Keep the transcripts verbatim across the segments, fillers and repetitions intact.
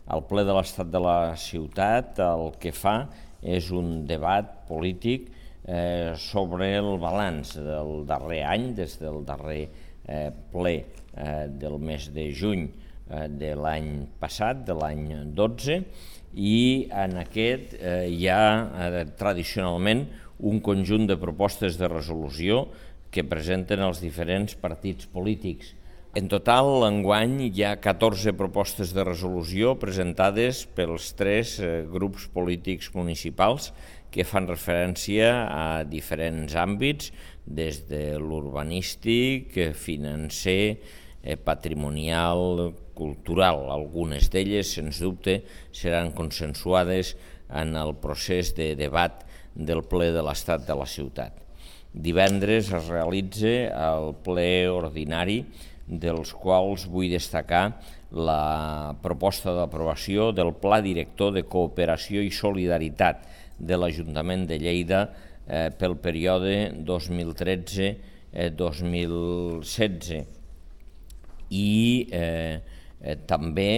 El ple de l'Estat de la Ciutat el que fa és un debat polític eh, sobre el balanç del darrer any, des del darrer eh, ple eh, del mes de juny eh, de l'any passat, de l'any dotze, i en aquest eh, hi ha eh, tradicionalment un conjunt de propostes de resolució que presenten els diferents partits polítics. En total, enguany, hi ha catorze propostes de resolució presentades pels tres eh, grups polítics municipals que fan referència a diferents àmbits, des de l'urbanístic, financer, eh, patrimonial, cultural. Algunes d'elles, sens dubte, seran consensuades en el procés de debat del ple de l'Estat de la Ciutat. Divendres es realitza el ple ordinari, dels quals vull destacar la proposta d'aprovació del Pla Director de Cooperació i Solidaritat de l'Ajuntament de Lleida eh, pel període dos mil tretze dos mil setze. I eh, eh, també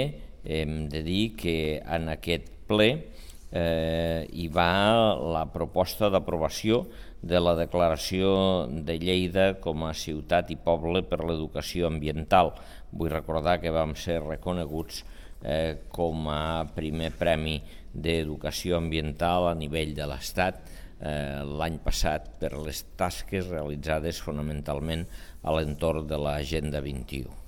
hem de dir que en aquest ple eh, hi va la proposta d'aprovació de la declaració de Lleida com a ciutat i poble per l'educació ambiental. Vull recordar que vam ser reconeguts eh, com a primer premi d'educació ambiental a nivell de l'Estat eh, l'any passat per les tasques realitzades fonamentalment a l'entorn de l'Agenda vint i u.